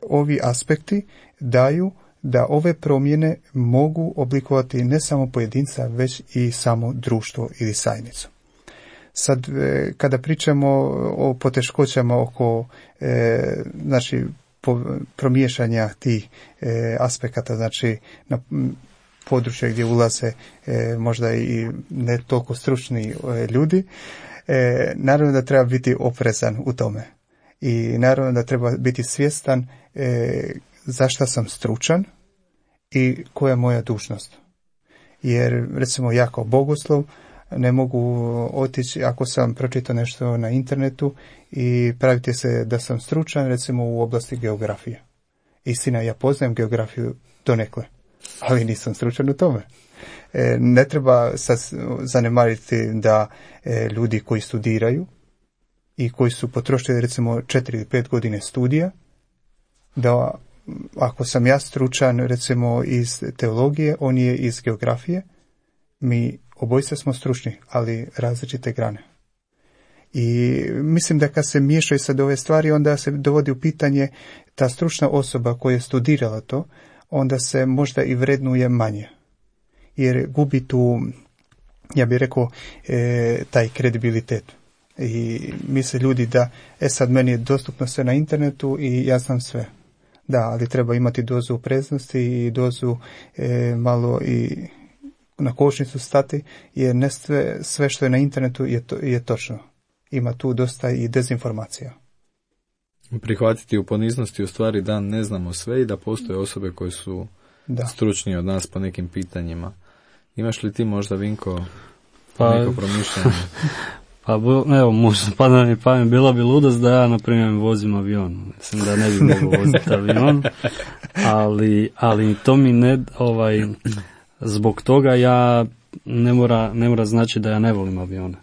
Ovi aspekti daju da ove promjene mogu oblikovati ne samo pojedinca, već i samo društvo ili zajednicu. Sad, kada pričamo o poteškoćama oko promiješanja tih aspekata, znači na područje gdje ulaze možda i ne toliko stručni ljudi, naravno da treba biti oprezan u tome. I naravno da treba biti svjestan zašto sam stručan i koja je moja dužnost. Jer recimo ja kao bogoslov ne mogu otići ako sam pročitao nešto na internetu i praviti se da sam stručan recimo u oblasti geografije. Istina, ja poznajem geografiju donekle, ali nisam stručan u tome. Ne treba sad zanemariti da ljudi koji studiraju i koji su potrošili recimo 4 ili 5 godine studija, da ako sam ja stručan recimo iz teologije, on je iz geografije, mi obojica smo stručni, ali različite grane. I mislim da kad se miješaju sad ove stvari, onda se dovodi u pitanje ta stručna osoba koja je studirala to, onda se možda i vrednuje manje. Jer gubi tu, ja bih rekao, taj kredibilitet. I misle ljudi da, sad meni je dostupno sve na internetu i ja znam sve. Da, ali treba imati dozu opreznosti i dozu malo i na kočnicu stati, jer ne sve što je na internetu je točno. Ima tu dosta i dezinformacija. Prihvatiti u poniznosti u stvari da ne znamo sve i da postoje osobe koje su stručnije od nas po nekim pitanjima. Imaš li ti možda, Vinko, neko promišljanje? Pa evo, možda pada mi pamet, bila bi ludost da ja, na primjer, vozim avion. Mislim da ne bi mogao voziti avion, ali to mi ne, zbog toga ja ne mora znači da ja ne volim avione.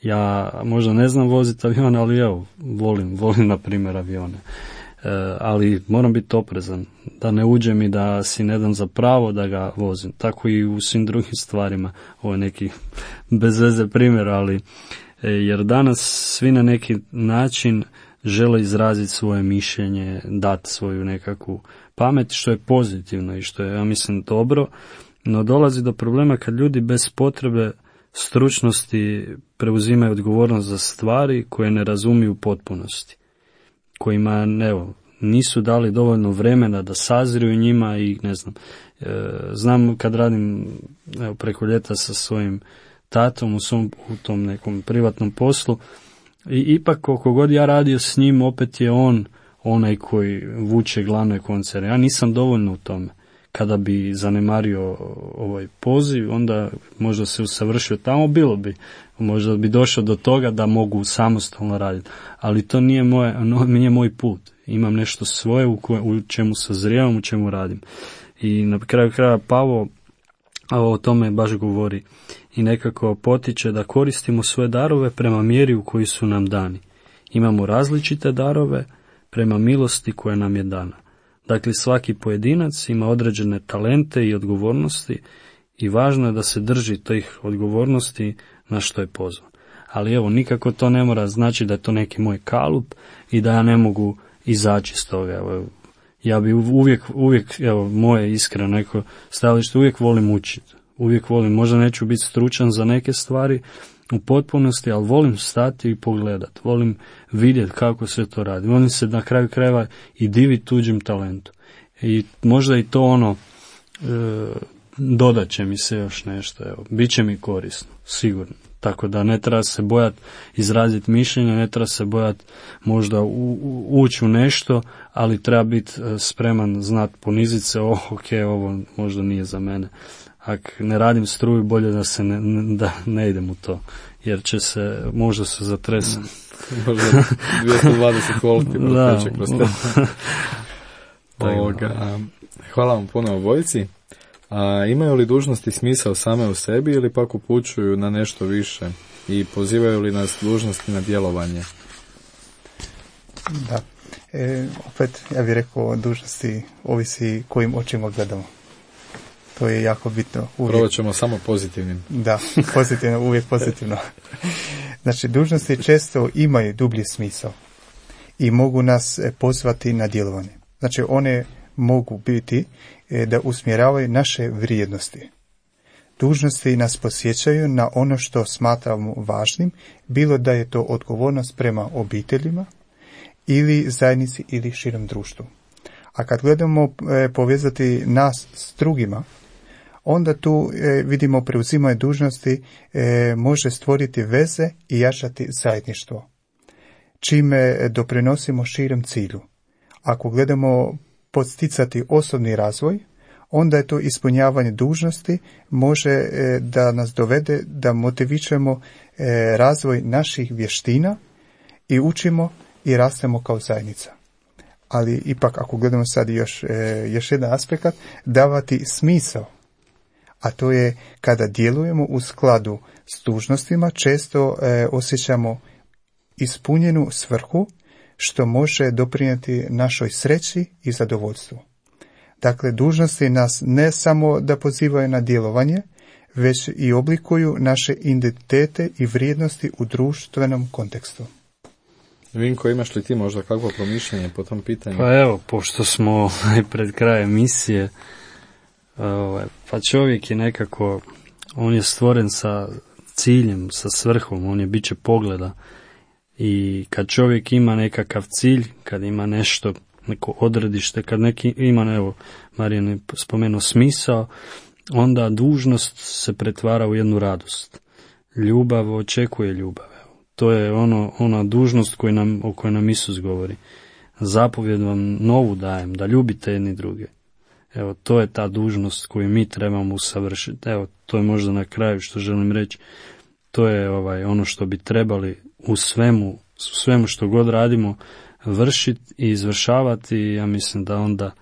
Ja možda ne znam voziti avion, ali evo, volim na primjer avione. Ali moram biti oprezan, da ne uđem i da si ne dam za pravo da ga vozim. Tako i u svim drugim stvarima. Ovo je neki bez veze primjer, ali jer danas svi na neki način žele izraziti svoje mišljenje, dati svoju nekakvu pamet, što je pozitivno i što je, ja mislim, dobro, no dolazi do problema kad ljudi bez potrebe stručnosti preuzimaju odgovornost za stvari koje ne razumiju u potpunosti, kojima nisu dali dovoljno vremena da sazriju njima i ne znam. Znam kad radim preko ljeta sa svojim tatom u tom nekom privatnom poslu i ipak koliko god ja radio s njim, opet je on onaj koji vuče glavne koncere. Ja nisam dovoljno u tome. Kada bi zanemario ovaj poziv, onda možda se usavršio tamo, možda bi došao do toga da mogu samostalno raditi. Ali to nije moj put. Imam nešto svoje u čemu sazrijevam, u čemu radim. I na kraju kraja Pavo o tome baš govori i nekako potiče da koristimo svoje darove prema mjeri u koji su nam dani. Imamo različite darove prema milosti koja nam je dana. Dakle, svaki pojedinac ima određene talente i odgovornosti i važno je da se drži tih odgovornosti na što je pozvan. Ali evo, nikako to ne mora znači da je to neki moj kalup i da ja ne mogu izaći iz toga. Evo, ja bi uvijek, evo, moje iskreno neko stajalište, uvijek volim učiti. Uvijek volim, možda neću biti stručan za neke stvari u potpunosti, ali volim stati i pogledati. Volim vidjeti kako se to radi. Volim se na kraju krajeva i diviti tuđim talentu. I možda i to dodat će mi se još nešto. Evo, bit će mi korisno, sigurno. Tako da ne treba se bojati izraziti mišljenje, ne treba se bojati možda ući u nešto, ali treba biti spreman znati poniziti se, ok, ovo možda nije za mene. Ako ne radim struju, bolje da se da ne idem u to, jer će se, možda se zatresem. Možda 220 volti proteče kroz te. Hvala vam puno obojici. A imaju li dužnosti smisao same u sebi ili pak upućuju na nešto više i pozivaju li nas dužnosti na djelovanje? Da. Opet, ja bih rekao, dužnosti ovisi kojim očima gledamo. To je jako bitno. Prvo ćemo samo pozitivnim. Da, pozitivno, uvijek pozitivno. Znači, dužnosti često imaju dublji smisao i mogu nas pozvati na djelovanje. Znači, one mogu biti da usmjeravaju naše vrijednosti. Dužnosti nas podsjećaju na ono što smatramo važnim, bilo da je to odgovornost prema obiteljima, ili zajednici, ili širom društvu. A kad gledamo povezati nas s drugima, onda tu vidimo preuzimanje dužnosti može stvoriti veze i jačati zajedništvo, čime doprinosimo širem cilju. Ako gledamo podsticati osobni razvoj, onda je to ispunjavanje dužnosti može da nas dovede da motivišemo razvoj naših vještina i učimo i rastemo kao zajednica. Ali ipak, ako gledamo sad još jedan aspekt, davati smisao, a to je kada djelujemo u skladu s dužnostima, često osjećamo ispunjenu svrhu, što može doprinijeti našoj sreći i zadovoljstvu. Dakle, dužnosti nas ne samo da pozivaju na djelovanje, već i oblikuju naše identitete i vrijednosti u društvenom kontekstu. Vinko, imaš li ti možda kakvo promišljanje po tom pitanju? Pa evo, pošto smo pred krajem emisije, pa čovjek je nekako, on je stvoren sa ciljem, sa svrhom, on je biće pogleda. I kad čovjek ima nekakav cilj, kad ima nešto, neko odredište, kad neki ima, evo, Marijan je spomenuo smisao, onda dužnost se pretvara u jednu radost. Ljubav očekuje ljubav. Evo. To je ona dužnost o kojoj nam Isus govori. Zapovjed vam novu dajem, da ljubite jedni druge. Evo, to je ta dužnost koju mi trebamo usavršiti. Evo, to je možda na kraju što želim reći. To je ono što bi trebali u svemu što god radimo vršiti i izvršavati, i ja mislim da onda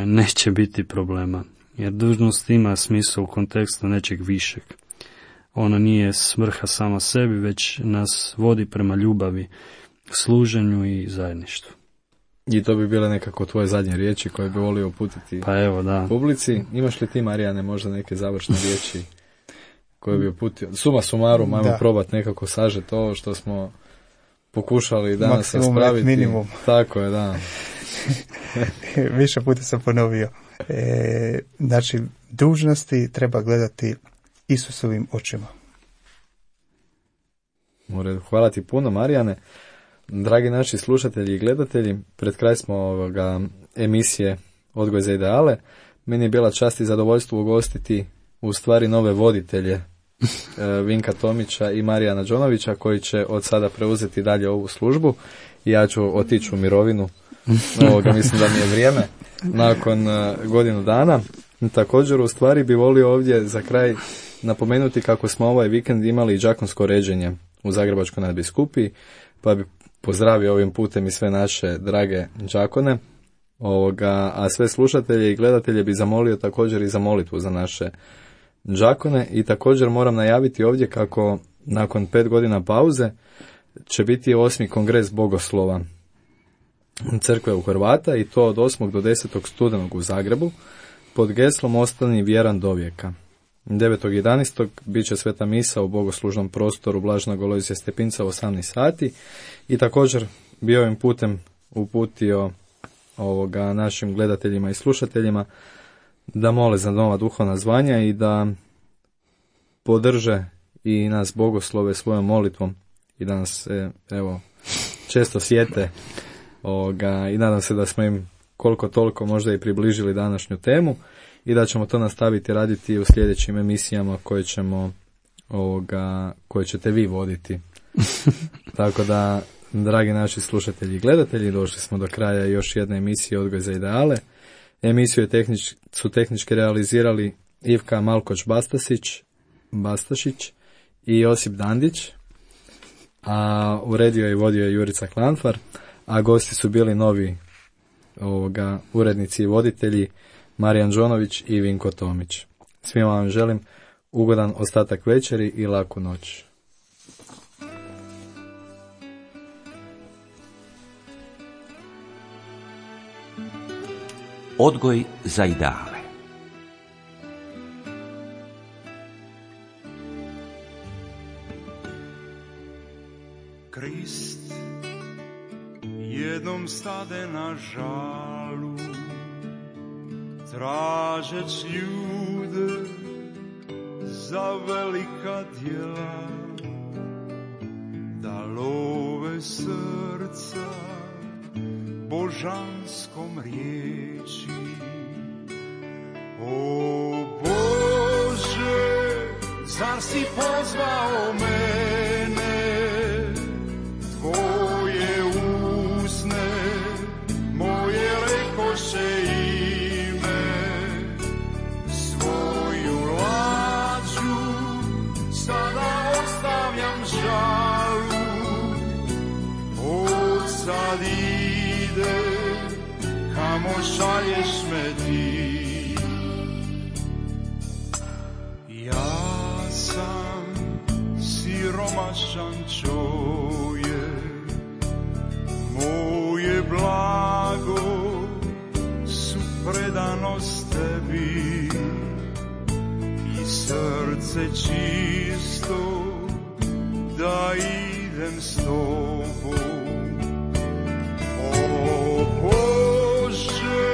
neće biti problema. Jer dužnost ima smisla u kontekstu nečeg višeg. Ona nije svrha sama sebi, već nas vodi prema ljubavi, služenju i zajedništvu. I to bi bile nekako tvoje zadnje riječi koje bi volio uputiti pa evo, da. publici. Imaš li ti, Marijane, možda neke završne riječi koje bi uputio? Suma sumarum, ajmo probati nekako sažeti ovo što smo pokušali danas raspraviti. Minimum. Tako je, da. Više puta sam ponovio. Znači, dužnosti treba gledati Isusovim očima. Hvala ti puno, Marijane. Dragi naši slušatelji i gledatelji, pred kraj smo emisije Odgoj za ideale. Meni je bila čast i zadovoljstvo ugostiti u stvari nove voditelje, Vinka Tomića i Marijana Đonovića, koji će od sada preuzeti dalje ovu službu i ja ću otići u mirovinu. Mislim da mi je vrijeme nakon godinu dana. Također, u stvari bi volio ovdje za kraj napomenuti kako smo ovaj vikend imali i đakonsko ređenje u Zagrebačkoj nadbiskupiji, pa bi pozdravio ovim putem i sve naše drage đakone, a sve slušatelje i gledatelje bi zamolio također i za molitvu za naše đakone. I također moram najaviti ovdje kako nakon 5 godina pauze će biti 8. kongres bogoslova crkve u Hrvata, i to od 8. do 10. studenog u Zagrebu pod geslom Ostani vjeran do vijeka. 9.11. bit će sveta misa u bogoslužnom prostoru Blaženog Alojzija Stepinca u 18 sati i također bi ovim putem uputio našim gledateljima i slušateljima da mole za nova duhovna zvanja i da podrže i nas bogoslove svojom molitvom i da nas često sjete i nadam se da smo im koliko toliko možda i približili današnju temu i da ćemo to nastaviti raditi u sljedećim emisijama koje ćete vi voditi. Tako da, dragi naši slušatelji i gledatelji, došli smo do kraja još jedne emisije Odgoj za ideale. Emisiju su tehnički realizirali Ivka Malkoč-Bastašić i Josip Dandić, a uredio i vodio je Jurica Klanfar, a gosti su bili novi urednici i voditelji Marijan Đonović i Vinko Tomić. Svima vam želim ugodan ostatak večeri i laku noć. Odgoj za ideale. Krist jednom stade na žalu, tražeć ljude za velika djela, da love srca božanskom riječi. O Bože, zar si pozvao mene, tvoje usne moje rekoše ime, svoju lađu sada ostavljam žalu, od sad ide kamo šalješ me ti. Ja sam siromašan čovjek, moje blago su predanost tebi i srce čisto da idem s tobom. O Bože,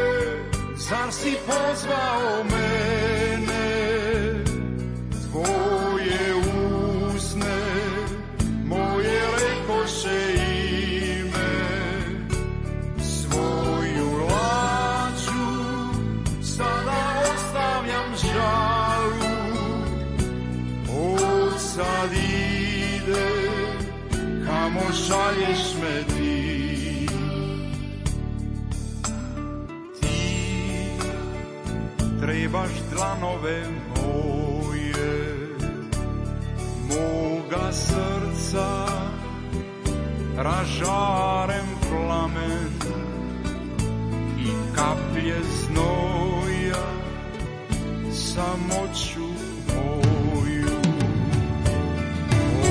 zar si pozvao mene, tvoje usne moje rekoše ime, svoju lađu sada ostavljam žalu, od sad ide kamo šalješ me ti. Ti trebaš dlanove moje, moga srca ražarem plamen i kaplje znoja samoću moju. O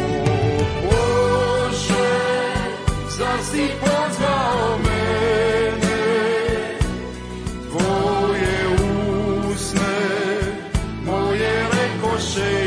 Bože, zar si pozvao mene, tvoje usne moje rekoše